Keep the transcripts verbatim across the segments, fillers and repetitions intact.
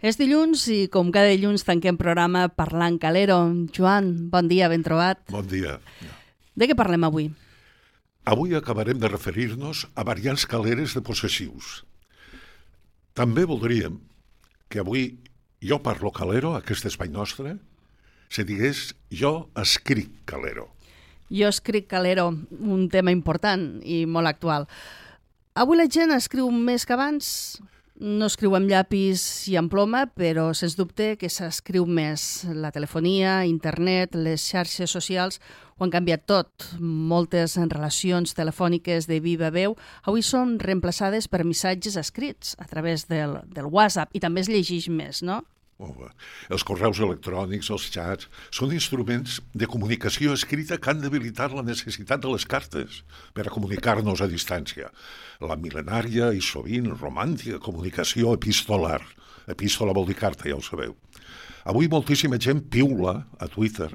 És dilluns i com cada dilluns tanquem programa parlant calero. Joan, bon dia, ben trobat. Bon dia. De què parlem avui? Avui acabarem de referir-nos a variants caleres de possessius. També voldríem que avui jo parlo calero, aquest espai nostre, se digués jo escric calero. Jo escric calero, un tema important i molt actual. Avui la gent escriu més que abans. No escriu amb llapis i amb ploma, però sens dubte que s'escriu més. La telefonia, internet, les xarxes socials ho han canviat tot. Moltes relacions telefòniques de viva veu avui són reemplaçades per missatges escrits a través del, del WhatsApp i també es llegeix més, no? Oh, els correus electrònics, els xats, són instruments de comunicació escrita que han debilitat la necessitat de les cartes per a comunicar-nos a distància. La mil·lenària i sovint romàntica comunicació epistolar. Epístola vol dir carta, ja ho sabeu. Avui moltíssima gent piula a Twitter.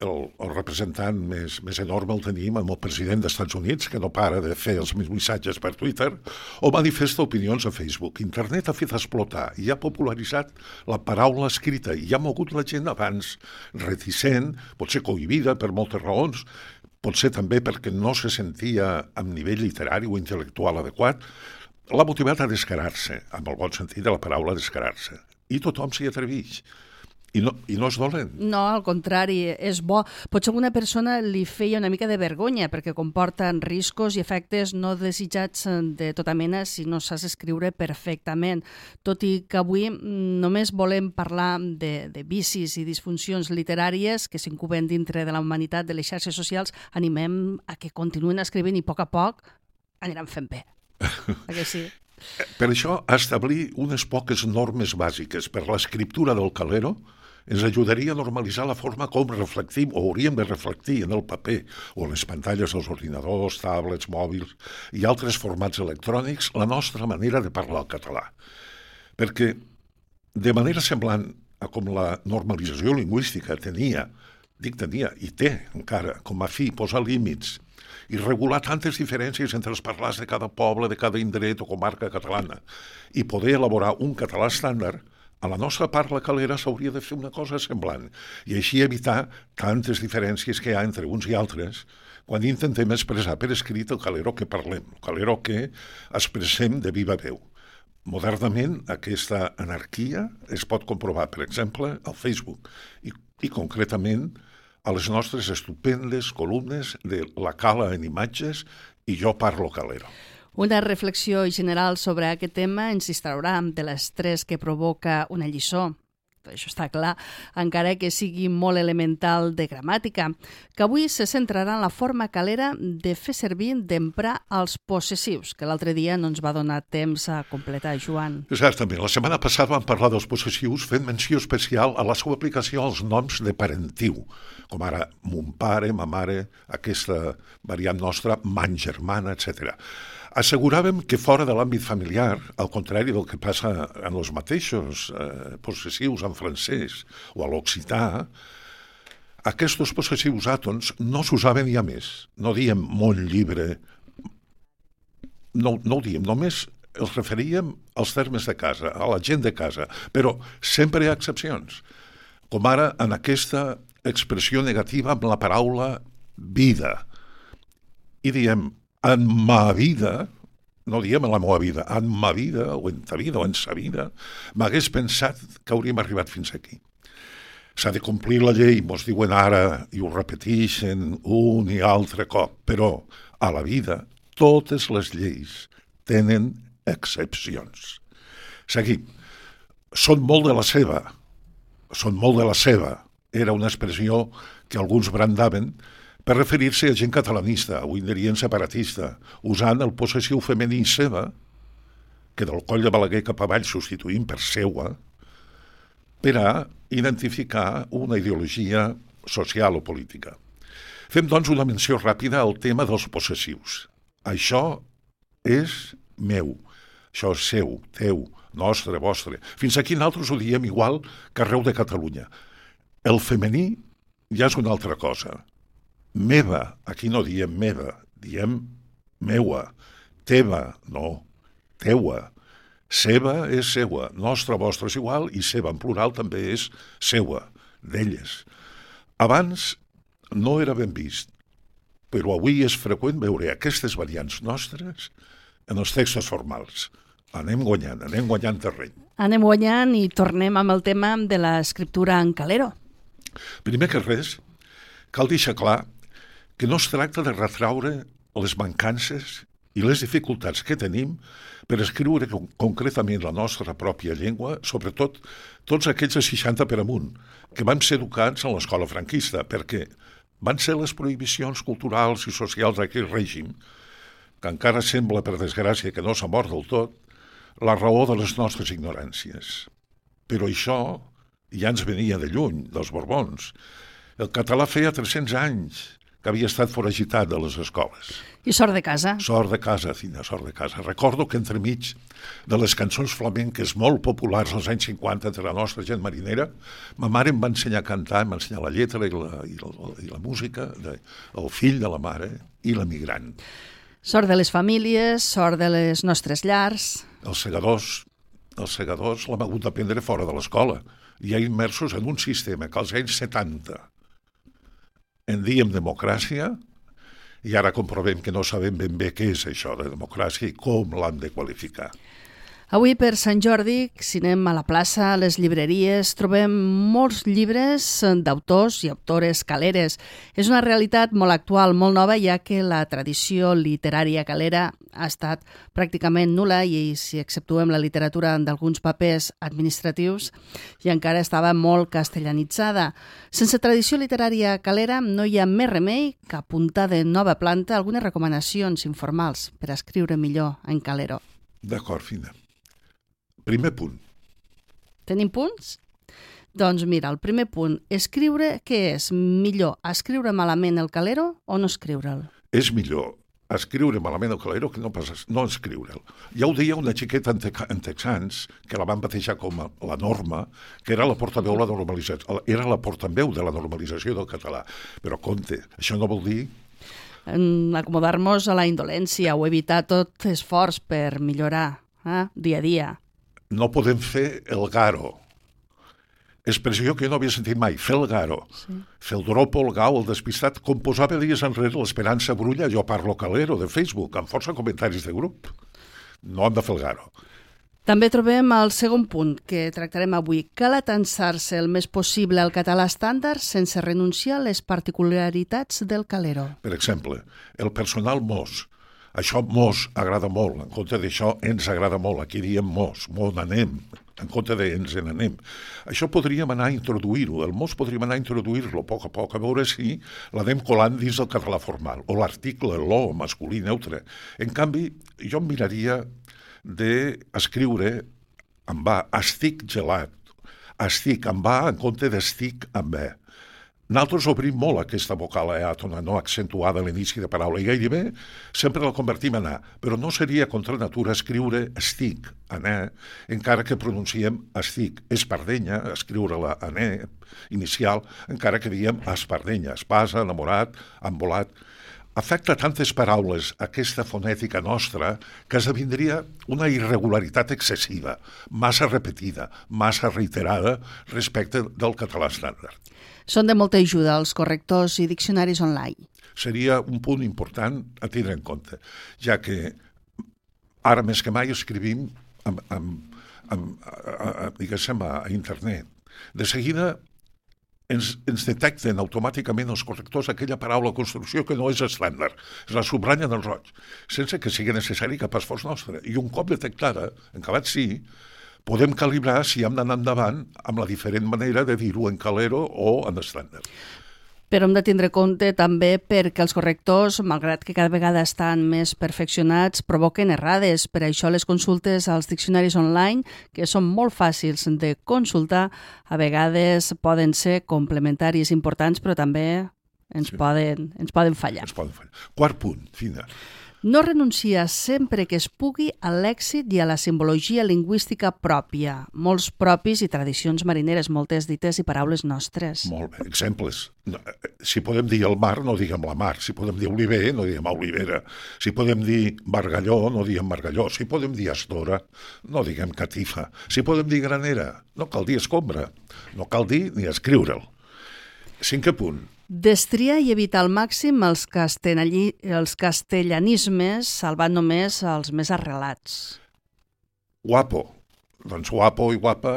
El, el representant més, més enorme el tenim amb el president dels Estats Units, que no para de fer els missatges per Twitter, o manifesta opinions a Facebook. Internet ha fet explotar i ha popularitzat la paraula escrita. I ha mogut la gent abans reticent, potser cohibida per moltes raons, potser també perquè no se sentia amb nivell literari o intel·lectual adequat, l'ha motivat a descarar-se, amb el bon sentit de la paraula descarar-se. I tothom s'hi atreveix. I no, I no és dolent. No, al contrari, és bo. Potser alguna persona li feia una mica de vergonya perquè comporten riscos i efectes no desitjats de tota mena si no saps escriure perfectament. Tot i que avui només volem parlar de, de vicis i disfuncions literàries que s'incuben dintre de la humanitat de les xarxes socials, animem a que continuïn escrivint i a poc a poc aniran fent bé. Perquè sí. Per això, establir unes poques normes bàsiques per l'escriptura del calero ens ajudaria a normalitzar la forma com reflectim o hauríem de reflectir en el paper o en les pantalles dels ordinadors, tablets, mòbils i altres formats electrònics la nostra manera de parlar el català. Perquè, de manera semblant a com la normalització lingüística tenia, dic tenia i té encara com a fi posar límits i regular tantes diferències entre els parlars de cada poble, de cada indret o comarca catalana i poder elaborar un català estàndard, a la nostra parla calera s'hauria de fer una cosa semblant i així evitar tantes diferències que hi ha entre uns i altres quan intentem expressar per escrit el calero que parlem, el calero que expressem de viva veu. Modernament, aquesta anarquia es pot comprovar, per exemple, al Facebook i, i concretament a les nostres estupendes columnes de La Cala en imatges i Jo parlo calero. Una reflexió general sobre aquest tema ens distraurà de l'estrès que provoca una lliçó. Això està clar, encara que sigui molt elemental de gramàtica, que avui se centrarà en la forma calera de fer servir d'emprar els possessius, que l'altre dia no ens va donar temps a completar, Joan. Exactament. La setmana passada vam parlar dels possessius fent menció especial a la seva aplicació als noms de parentiu, com ara mon pare, ma mare, aquesta variant nostra, man germana, etcètera. Asseguràvem que fora de l'àmbit familiar, al contrari del que passa en els mateixos eh, possessius en francès o a l'occità, aquests possessius àtons no s'usaven ja més. No diem mon llibre, no, no ho diem, només els referíem als termes de casa, a la gent de casa, però sempre hi ha excepcions, com ara en aquesta expressió negativa amb la paraula vida. I diem en ma vida, no diem en la meva vida, en ma vida, o en ta vida, o en sa vida, m'hagués pensat que hauríem arribat fins aquí. S'ha de complir la llei, mos diuen ara, i ho repeteixen un i altre cop, però a la vida totes les lleis tenen excepcions. Seguim. Són molt de la seva, són molt de la seva, era una expressió que alguns brandaven, per referir-se a gent catalanista, avui en dirien separatista, usant el possessiu femení seva, que del coll de Balaguer cap avall substituïm per seua, per a identificar una ideologia social o política. Fem, doncs, una menció ràpida al tema dels possessius. Això és meu, això és seu, teu, nostre, vostre. Fins aquí nosaltres ho diem igual que arreu de Catalunya. El femení ja és una altra cosa. Meva, aquí no diem meva, diem meua, teva, no, teua, Seva és seua, nostra, vostra és igual, i seva en plural també és seua, d'elles. Abans no era ben vist, però avui és freqüent veure aquestes variants nostres en els textos formals. Anem guanyant, anem guanyant terreny. Anem guanyant i tornem amb el tema de l'escriptura en calero. Primer que res, cal deixar clar que no es tracta de retraure les mancances i les dificultats que tenim per escriure concretament la nostra pròpia llengua, sobretot tots aquells de seixanta per amunt, que vam ser educats en l'escola franquista, perquè van ser les prohibicions culturals i socials d'aquell règim, que encara sembla, per desgràcia, que no s'ha mort del tot, la raó de les nostres ignoràncies. Però això ja ens venia de lluny, dels Borbons. El català feia tres-cents anys que havia estat foragitat de les escoles. I sort de casa. Sort de casa, Fina, sort de casa. Recordo que entremig de les cançons flamenques molt populars als anys cinquanta entre la nostra gent marinera, ma mare em va ensenyar a cantar, em va ensenyar la lletra i la, i la, i la música de El fill de la mare i l'emigrant. Sort de les famílies, sort de les nostres llars. Els segadors, els segadors l'hem hagut d'aprendre fora de l'escola, ja immersos en un sistema que als anys setanta en diem democràcia, i ara comprovem que no sabem ben bé què és això de democràcia i com l'hem de qualificar. Avui, per Sant Jordi, si anem a la plaça, a les llibreries, trobem molts llibres d'autors i autores caleres. És una realitat molt actual, molt nova, ja que la tradició literària calera ha estat pràcticament nul·la i si exceptuem la literatura d'alguns papers administratius i encara estava molt castellanitzada. Sense tradició literària calera no hi ha més remei que apuntar de nova planta algunes recomanacions informals per escriure millor en calero. D'acord, Fina. Primer punt. Tenim punts? Doncs mira, el primer punt, escriure, què és? Millor escriure malament el calero o no escriure'l? És millor escriure malament el calero que no, pas, no escriure'l. Ja ho deia una xiqueta en texans, que la van batejar com a la norma, que era la portaveu, la normalització, era la portaveu de la normalització del català. Però compte, això no vol dir acomodar-nos a la indolència o evitar tot esforç per millorar eh? dia a dia. No podem fer el garo. Expressió que jo no havia sentit mai, fer el garo. Sí. Fer el dropo, el gau, el despistat, com posava dies enrere l'Esperança Brulla, jo parlo calero, de Facebook, amb força comentaris de grup. No hem de fer el garo. També trobem el segon punt que tractarem avui. Cal atansar-se el més possible al català estàndard sense renunciar a les particularitats del calero. Per exemple, el personal mos. Això mos agrada molt, en compte d'això ens agrada molt, aquí diem mos, mos n'anem, en compte de ens en anem. Això podríem anar a introduir-ho, el mos podríem anar a introduir-lo a poc a poc, a veure si l'anem colant dins del català formal, o l'article, lo, masculí, neutre. En canvi, jo em miraria d'escriure amb va, estic gelat, estic amb va en compte d'estic amb bé. Nosaltres obrim molt aquesta vocal eàtona no accentuada a l'inici de paraula i gairebé sempre la convertim en a, però no seria contra natura escriure estic en e, encara que pronunciem estic. Espardenya, escriure-la en e inicial, encara que diem espardenya, espasa, enamorat, embolat. Afecta tantes paraules aquesta fonètica nostra que esdevindria una irregularitat excessiva, massa repetida, massa reiterada respecte del català estàndard. Són de molta ajuda els correctors i diccionaris online. Seria un punt important a tindre en compte, ja que ara més que mai escrivim amb, amb, amb, a, a, diguéssim, a, a internet. De seguida ens, ens detecten automàticament els correctors aquella paraula o construcció que no és estàndard. Es la subratllen en roig, sense que sigui necessari cap esforç nostre. I un cop detectada, en acabat sí, podem calibrar si hem d'anar endavant amb la diferent manera de dir-ho en calero o en estàndard. Però hem de tindre compte també perquè els correctors, malgrat que cada vegada estan més perfeccionats, provoquen errades. Per això les consultes als diccionaris online, que són molt fàcils de consultar, a vegades poden ser complementaris importants, però també ens, sí. poden, ens poden fallar. Ens poden fallar. Quart punt, Fina. No renuncia sempre que es pugui a l'èxit i a la simbologia lingüística pròpia, molts propis i tradicions marineres, moltes dites i paraules nostres. Molt bé, exemples. Si podem dir el mar, no diguem la mar. Si podem dir oliver, no diguem olivera. Si podem dir margalló, no diguem margalló. Si podem dir estora, no diguem catifa. Si podem dir granera, no cal dir escombra. No cal dir ni escriure'l. Cinquè punt. Destriar i evitar al màxim els, castellani, els castellanismes, salvant només els més arrelats. Guapo. Doncs guapo i guapa,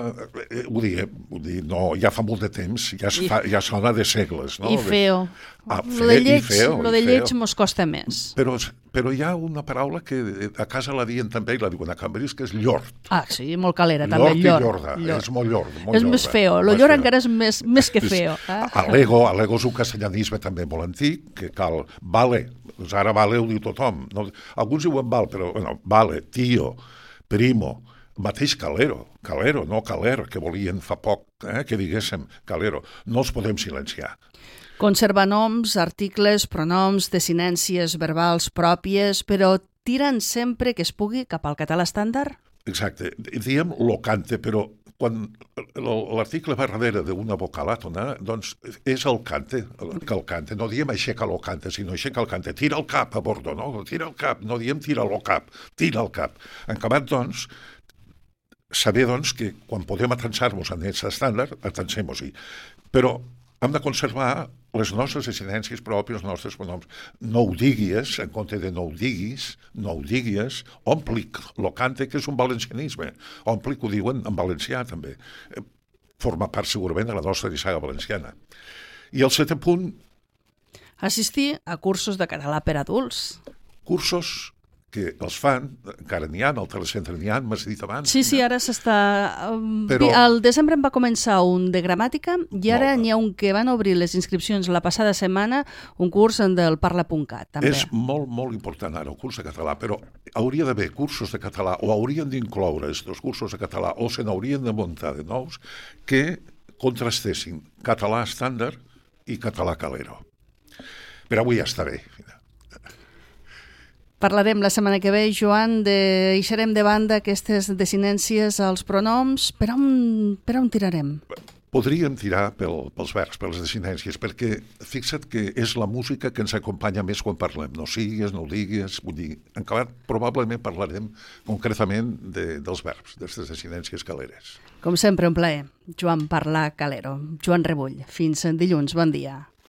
eh, ho diem, ho dir, no, ja fa molt de temps, ja, es fa, ja sona de segles. No? I feo. Ah, lo de lleig, feo, lo de lleig mos costa més. Però, però hi ha una paraula que a casa la dien també, i la diuen a Cambrils, que és llort. Ah, sí, molt calera, també. Llort i llorda, llort. És molt llord. Molt és llorda. Més feo, lo llort encara és més, més que feo. Ah. Alego, alego és un castellanisme també molt antic, que cal vale, doncs ara vale ho diu tothom. No, alguns diuen val, però bueno, vale, tio, primo, mateix calero, calero, no caler, que volien fa poc eh, que diguéssim calero. No els podem silenciar. Conservar noms, articles, pronoms, desinències verbals pròpies, però tiren sempre que es pugui cap al català estàndard? Exacte. Diem locante, però quan l'article va darrere d'una vocal àtona, doncs és el cante, que el cante. No diem aixeca lo cante, sinó aixeca el cante. Tira el cap a bordo, no? Tira el cap. No diem tira lo cap, tira el cap. En acabat, doncs, saber, doncs, que quan podem atensar-nos en aquest estàndard, atensem-nos-hi. Però hem de conservar les nostres desinències pròpies, els nostres pronoms. No ho diguis, en compte de no ho diguis, no ho diguis, omplic, lo cante, que és un valencianisme. Omplic ho diuen en valencià, també. Forma part, segurament, de la nostra dissaga valenciana. I el setè punt... Assistir a cursos de català per adults. Cursos que els fan, encara n'hi ha, al telecentre n'hi ha, m'has dit abans. Sí, sí, ara s'està... Però... Al desembre en va començar un de gramàtica i ara n'hi ha un que van obrir les inscripcions la passada setmana, un curs del parla punt cat, també. És molt, molt important ara el curs de català, però hauria d'haver cursos de català o haurien d'incloure els cursos de català o se n'haurien de muntar de nous que contrastessin català estàndard i català calero. Però avui ja està bé. Parlarem la setmana que ve, Joan, de... deixarem de banda aquestes desinències als pronoms. Per on, per on tirarem? Podríem tirar pel, pels verbs, per les desinències, perquè fixa't que és la música que ens acompanya més quan parlem. No sigues, no ho digues, vull dir, en acabat probablement parlarem concretament de, dels verbs, d'aquestes desinències caleres. Com sempre, un plaer. Joan Parlar Calero. Joan Rebull. Fins dilluns. Bon dia.